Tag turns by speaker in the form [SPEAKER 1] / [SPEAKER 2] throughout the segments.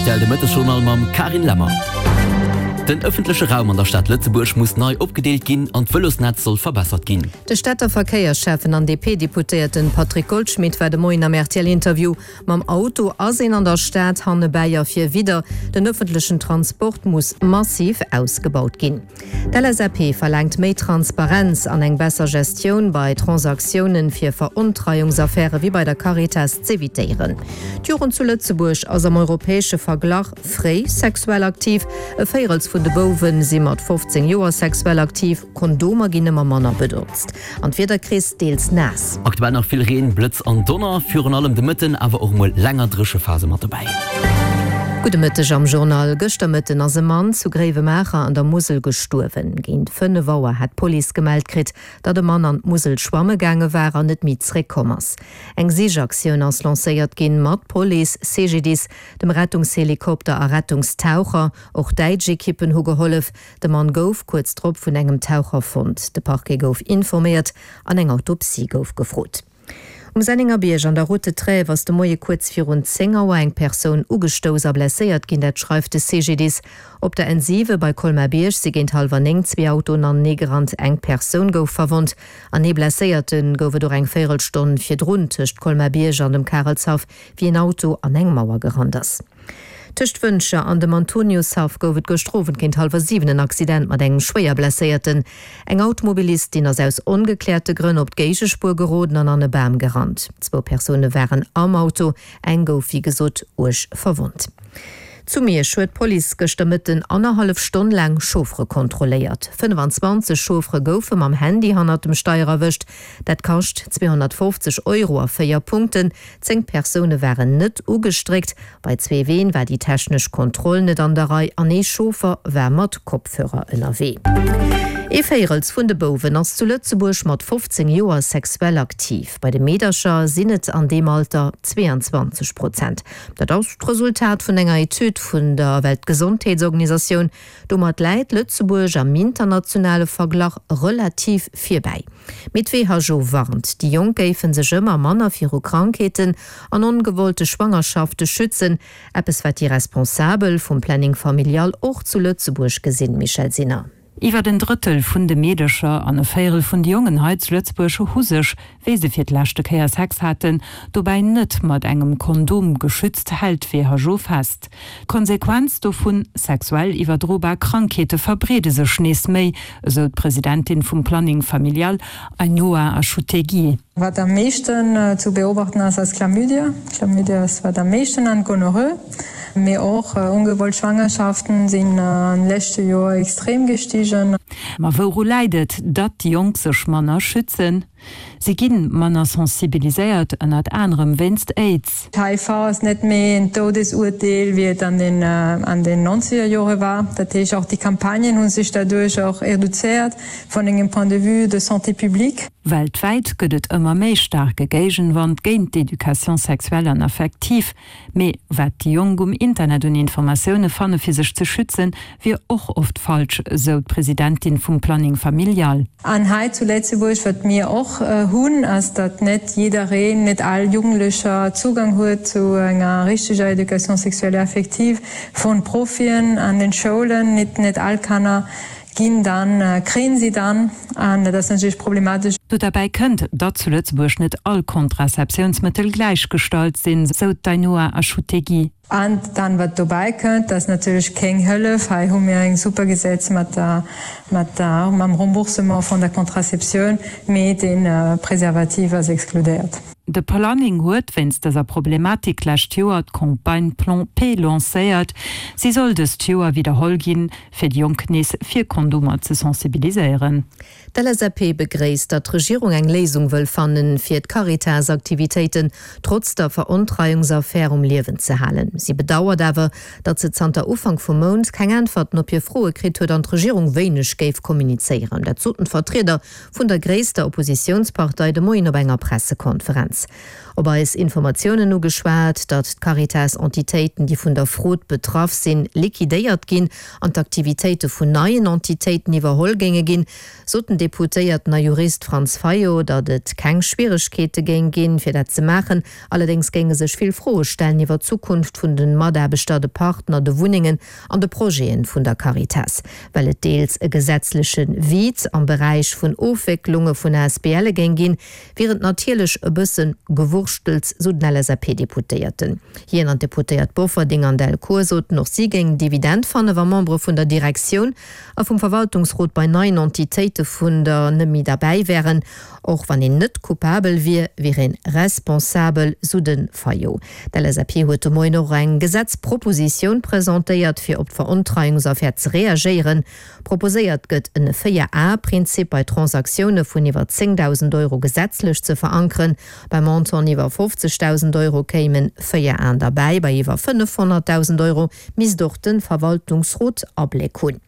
[SPEAKER 1] Rtl de Mëttesjournal mam Carine Lemmer. Den ëffentleche Raum an der Stad Lëtzebuerg muss nei opgedeelt ginn an d'Vëlosnetz soll verbessert ginn.
[SPEAKER 2] De Stater Verkéiersschäffen an DP-Deputéierten Patrick Goldschmidt war de Moien am RTL-Interview. Mam Auto ass een an der Stad hannebäi a vir widder. Den ëffentlechen Transport muss massiv ausgebaut ginn. D'LSAP verlaangt méi Transparenz an eng besser Gestioun bei Transaktiounen, fir Verontreiungsaffäre wéi bei der Caritas z'evitéieren. D'Jugend zu Lëtzebuerg ass am europäesche Verglach fréi sexuell aktiv. E Véirels vun de Bouwe si mat 15 Joer sexuell aktiv. Kondomer ginn ëmmer manner benotzt an d'Wiederkris deels naass.
[SPEAKER 1] Aktuell nach vill Reen, Blëtz an Donner, virun allem de Mëtten, awer och mol länger Dréchephase mat dobäi.
[SPEAKER 2] Gudde Mëtteg am Journal. Gëschter Mëtten ass e Mann zu Gréiwemaacher an der Musel gestuerwen. Géint 5 Auer hat d'Police gemellt kritt, datt e Mann an d'Musel schwamme gaange war an net méi zréckkomm ass. Eng Sichaktioun ass lancéiert ginn, mat Police, CGDIS, dem Rettungshelikopter a Rettungstaucher. Och däitsch Ekippen hu gehollef. De Mann gouf kuerz drop vun engem Taucher fonnt. De Parquet gouf informéiert an eng Autopsie gouf gefrot. Um Sennengerbierg an der Route de Trèves ass de Moie kuerz virun 10 Auer eng Persoun ugestouss a blesséiert ginn, dat schreift de CGDIS. Op der N7 bei Colmar-Bierg si géint hallwer 9 zwee Autoen aneneegerannt, eng Persoun gouf verwonnt an ee Blesséierte gouf et och eng Véierelstonn virdrun tëscht Colmar-Bierg an dem Karelshaff, wéi en Auto an eng Mauer gerannt ass. Tëscht Wëntger an dem Antoniushaff gouf et gëschter Owend géint hallwer 7 en Accident mat engem Schwéierblesséierten. Eng Automobilistin ass aus ongekläerte Grënn op d'Géigespuer geroden an an e Bam gerannt. Zwou Persoune waren am Auto, eng gouf wéi gesot uerg verwonnt. Zu Miersch huet d'Police gëschter Mëtten annerhallef Stonn laang Chauffere kontrolléiert. 25 Chauffere goufe mam Handy hannert dem Steier erwëscht. Dat kascht 250 Euro a 4 Punkten. 10 Persoune waren net ugestréckt, bei zwee Ween war déi technesch Kontroll net an der Rei an ee Chauffer war mat Kopfhörer ënnerwee. Ee Véirels vun de Bouwen ass zu Lëtzebuerg mat 15 Joer sexuell aktiv. Bei de Meedercher sinn et an deem Alter 22 Prozent. Dat ass d'Resultat vun enger Etüd vun der Weltgesondheetsorganisatioun. Domat läit Lëtzebuerg am internationale Verglach relativ virbäi. Mee d'WHO warnt, déi Jonk géife sech ëmmer manner viru Krankheeten an ongewollte Schwangerschafte schützen. Eppes wat déi Responsabel vum Planning Familial och zu Lëtzebuerg gesinn, Michèle Sinner.
[SPEAKER 3] Iwwer en Drëttel vun de Meedercher an e Véierel vun de Jongen hei zu Lëtzebuerg hu sech, wéi se fir d'leschte Kéier Sex haten, dobäi net mat engem Kondom geschützt, hält d'WHO fest. D'Konsequenz dovun, Sexuell iwwerdrobar Krankheete verbreede sech nees méi, esou d'Presidentin vum Planning Familial, Ainhoa Achutegui.
[SPEAKER 4] Wat am meeschten zu beobachten ass, ass Chlamydia. Chlamydia ass wat am meeschten an Gonorrhoe, mee och ongewollt Schwangerschaften sinn an leschte Joer extrem gestigen.
[SPEAKER 3] Ma wouru läit et, datt déi Jonk sech manner schützen? Si ginn manner sensibiliséiert, ënnert anerem wéinst Aids.
[SPEAKER 4] HIV ass net méi en Toudesurteel, wéi et an den an den nonzeger Jore war. Dat heescht, och déi Campagnen hu sech derduerch och reduzéiert vun engem Point de vue de santé publique.
[SPEAKER 3] Weltwäit gëtt et ëmmer méi staarke Géigenwand géint d'Education sexuelle an affective. Mee wat déi Jonk um Internet un Informatioune fanne fir sech ze schützen, wier och oft falsch, sou d'Presidentin vum Planning Familial.
[SPEAKER 4] An hei zu Lëtzebuerg, wat mir och hunn, ass, datt net jiddereen, net all Jugendlecher Zugang huet zu enger richteger Éducation sexuelle et affective vun Profien an den Schoulen. Net all Kanner ginn dann, kréien si dann, an dat ass natierlech problematesch.
[SPEAKER 3] Do derbäi kënnt, datt zu Lëtzebuerg net all Contraceptiounsmëttel gläichgestallt sinn, sou d'Ainhoa Achutegui.
[SPEAKER 4] An dann, wat dobäi kënnt, dat ass natierlech keng Hëllef. Hei hu mir eng super Gesetz mat der, mat der, mam Remboursement vun der Contraceptioun, mee de Preservativ ass exkludéiert.
[SPEAKER 3] De Planning huet wéinst dëser Problematik d'lescht Joer d'Campagne Plan P lancéiert. Si soll dëst Joer widderholl ginn, fir déi Jonk nees fir Kondomer ze sensibiliséieren.
[SPEAKER 2] D'LSAP begréisst, datt d'Regierung eng Léisung wëll fannen, fir d'Caritas-Aktivitéiten trotz der Verontreiungsaffär um Liewen ze halen. Si bedauert awer, datt se zanter Ufank vum Mount keng Äntwerten op hir Froe kritt huet an d'Regierung wéineg géif kommunizéieren. Dat soten d'Vertrieder vun der gréisster Oppositiounspartei de Moien op enger Pressekonferenz. Caritas. Op eis Informatiounen ugeschwat, datt d'Caritas-Entitéiten, déi vun der Frod betraff sinn, liquidéiert ginn an d'Aktivitéite vun neien Entitéiten iwwerholl géinge ginn, sot den Deputéierten a Jurist Franz Fayot, datt et keng Schwieregkeete géing ginn, fir dat ze maachen. Allerdéngs géinge sech vill Froe stellen iwwer d'Zukunft vun de Mataarbechter, de Partner, de Wunnengen an de Projete vun der Caritas. Well et deels e gesetzleche Vide am Beräich vun Ofwécklunge vun ASBLe géing ginn, wier et natierlech e bësse Gewurschtels, sou den LSAP-Deputéierten. Hien an d'Deputéiert Bofferding an Delcourt soten, och si géingen et evident fannen, wa Membere vun der Direktioun a vum Verwaltungsrot bei neien Entitéite vun der net méi derbäi wären. Och wann een net coupabel wier, wier een responsabel, sou de Fayot. D'LSAP huet de Moien och eng Gesetzpropositioun presentéiert, fir op d'Verontreiungsaffär ze reagéieren. Proposéiert gëtt en 4-A-Prinzip bei Transaktioune vun iwwer 10.000 Euro gesetzlech ze verankeren. Bei Montanten iwwer 50.000 Euro kéimen 4 Aen derbäi, bei iwwer 500.000 Euro misst och de Verwaltungsrot Abléck hunn.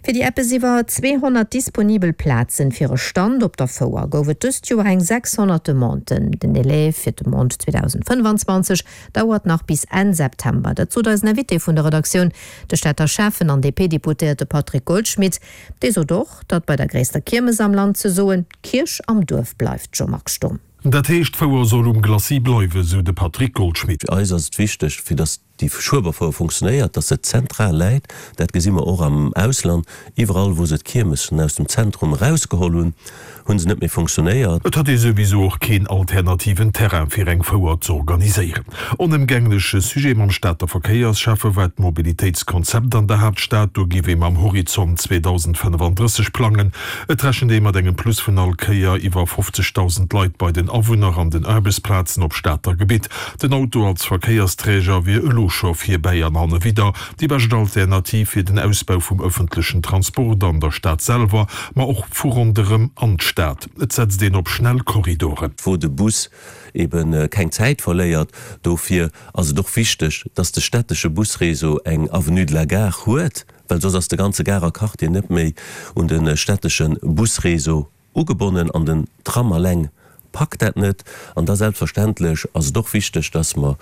[SPEAKER 2] Fir déi eppes iwwer 200 disponibel Plazen fir e Stand op der Fouer gouf et dëst Joer eng 600 Demanden. Den Delai fir d'Demande 2025 dauert nach bis Enn September. Dat sot eisen Invité vun der Redaktioun, de Stater Schäffen an DP-Deputéierte Patrick Goldschmidt. Dee sot och, datt bei der gréisster Kiermes am Land ze soen, d'Kierch am Duerf bleift. Jean-Marc Sturm.
[SPEAKER 5] Dat heescht, d'Fouer soll um Glacis bleiwen, sou de Patrick Goldschmidt.
[SPEAKER 6] Fir eis ass et wichteg, fir datt déi Schueberfouer funktionéiert, datt se zentral läit. Dat gesi mer och am Ausland. Iwwerall, wou se d'Kiermessen aus dem Zentrum erausgeholl hunn, hu se net méi funktionéiert.
[SPEAKER 5] Et hätt ee souwisou och keen alternativen Terrain, fir eng Fouer z'organiséieren. Onëmgängleche Sujet mam Stater Verkéiersschäffe war d'Mobilitéitskonzept an der Haaptstad. Do géif ee mam Horizont 2035 plangen. Et rechent ee mat engem Plus vun all Kéier iwwer 50.000 Leit bei den Awunner an den Aarbechtsplazen op Stater Gebitt. Den Auto als Verkéiersträger wier elo scho fir bäi an hannewidder déi bescht Alternativ fir den Ausbau vum ëffentlechen Transport an der Stad selwer, ma och vu ronderëm an d'Stad. Et setzt een op schnell Korridoren.
[SPEAKER 6] Wou de Bus ebe keng Zäit verléiert. Dofir ass et och wichteg, dass de stättesche Busréseau eng Avenue de la Gare huet, well soss ass de ganze Garer Quartier net méi un de stättesche Busréseau ugebonnen an den Tram alleng packt dat net. An da selbstverständlech ass et och wichteg, dass mer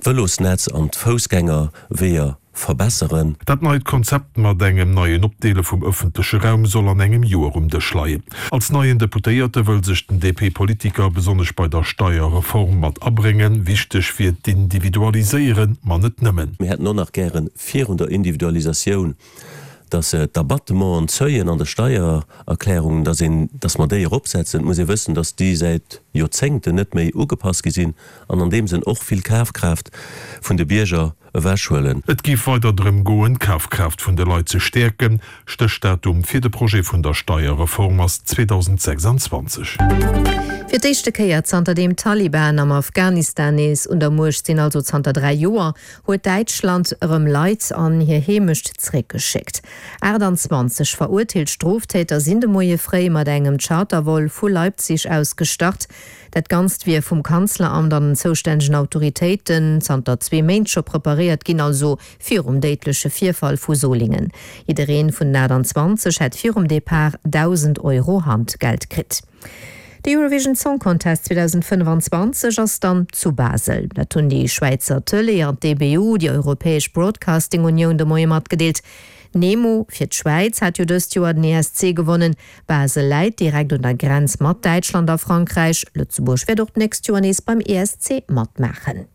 [SPEAKER 6] d'Vëlosnetz an d'Foussgängerweeër verbesseren.
[SPEAKER 5] Dat neit Konzept mat engem neien Opdeele vum ëffentleche Raum soll an engem Joer um Dësch leien. Als neien Deputéierte wëll sech den DP-Politiker besonnesch bei der Steierreform mat abréngen. Wichteg wier d'Individualiséieren, ma net nëmmen.
[SPEAKER 6] Mir hätten och nach gären virun der Individualisatioun, dass d'Abattementen, d'Seuillen an der Steiererklärung, dass een, dass mer déi eropsetzen. Et muss ee wëssen, dass déi säit Joerzéngten net méi ugepasst gi sinn an an deem Sënn och vill Kafkraaft vun de Bierger ewechhuelen.
[SPEAKER 5] Et géif weider drëm goen, d'Kafkraaft vun de Leit ze stäerken. Stéchdatum fir de Projet vun der Steierreform ass 2026.
[SPEAKER 2] Fir d'éischte Kéier zanterdeem d'Taliban am Afghanistan nees un der Muecht sinn, also zanter 3 Joer, huet Däitschland erëm Leit an hir Heemecht zeréckgeschéckt. 28 verurteelt Stroftäter sinn de Moie fréi mat engem Chartervol vu Leipzig aus gestart. Dat Ganzt wier vum Kanzleramt an den zoustännegen Autoritéiten zanter zwee Méint scho preparéiert ginn, also virum déidleche Virfall vu Solingen. Jiddereen vun den 28 hätt virum Depart 1.000 Euro Handgeld kritt. De Eurovision Song Contest 2025 ass dann zu Basel. Dat hunn déi Schwäizer Tëlee an d'EBU, déi Europäesch Broadcasting Unioun, de Moie matgedeelt. Nemo fir d'Schwäiz hat jo dëst Joer den ESC gewonnen. Basel läit direkt un der Grenz mat Däitschland a Frankräich. Lëtzebuerg wäert och d'nächst Joer nees beim ESC matmaachen.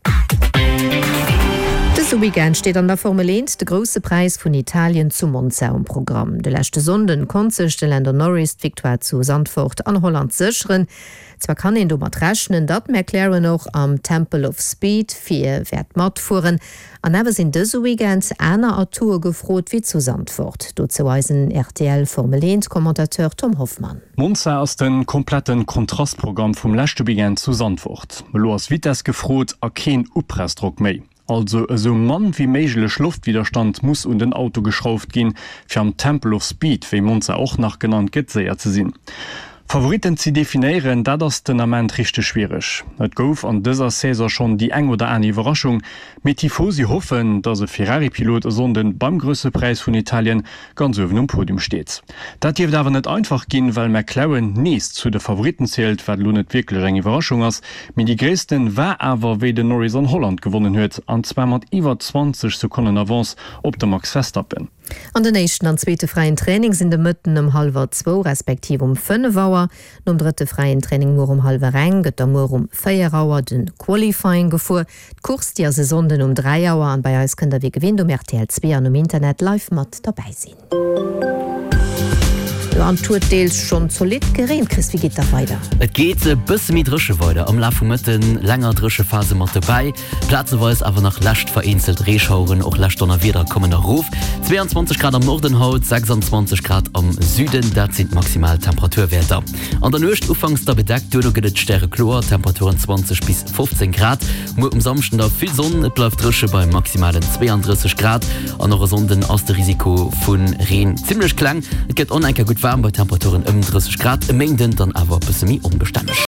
[SPEAKER 2] Dëse Weekend steet an der Formel 1 de Grousse Präis vun Italien zu Monza um Programm. De leschte Sonnden konnt sech de Lando Norris d'Victoire zu Zandvoort an Holland sécheren. Zwar kann een domat rechnen, datt McLaren och am Temple of Speed vir wäert matfueren, an awer sinn dëse Weekend aner Atoue gefrot wéi zu Zandvoort. Dozou eisen rtl Formel 1 Commentateur Tom Hoffmann.
[SPEAKER 7] Monza ass den kompletten Kontrastprogramm vum leschte Weekend zu Zandvoort. Elo ass Vitess gefrot a keen Upressdrock méi. Also esou mann wéi méiglech Loftwidderstand muss un den Auto geschrauft ginn, fir am Temple of Speed, wéi Monza och nach genannt gëtt, séier ze sinn. Favoritten ze definéieren, dat ass den Ament richteg schwiereg. Et gouf an dëser Saison schonn déi eng oder aner Iwwerraschung, mee d'Tifosi hoffen, datt e Ferrari-Pilot e Sonnden beim Grousse Präis vun Italien ganz uewen um Podium steet. Dat dierft awer net einfach ginn, well McLaren nees zu de Favoritten zielt, wat elo net wierklech eng Iwwerraschung ass, mee déi gréissten war awer, wéi den Norris an Holland gewonnen huet, an zwar mat iwwer 20 Sekonnen Avance op de Max Verstappen.
[SPEAKER 2] An den éischten an zweete fräien Training sinn de Mëtten ëm hallwer zwou respektiv um 5 Auer. Nom drëtte fräien Training muer um hallwer eng gëtt da muer um 4 Auer de Qualifying gefuer. D'Course déi ass e Sonnden um 3 Auer an bei eis kënnt der wéi gewinnt um rtl 2 an um Internet live mat derbäi sinn. Jo an et huet deels schonn zolidd gereent. Chris, wéi geet da weider?
[SPEAKER 1] Et geet e bësse méi dréche weider am Laf vum Mëtten, länger Dréchephase mat dobäi. Plazeweis awer nach lescht vereenzelt Reeschaueren, och lescht Donnerwieder kommen erof. 22 Grad am Norden haut, 26 Grad am Süden, dat sinn d'maximal Temperaturwäerter. An der Nuecht ufanks da bedeckt, duerno gëtt et stärekloer, Temperaturen 20 bis 15 Grad. Muer um Samschden da vill Sonn, et bleift dréche bei maximalen 32 Grad an och e Sonnden ass de Risiko vu Reen zimmlech kleng. Et gëtt on enker gutt waarm bei Temperaturen ëm 30 Grad, e Méinden dann awer e bësse méi onbestänneg.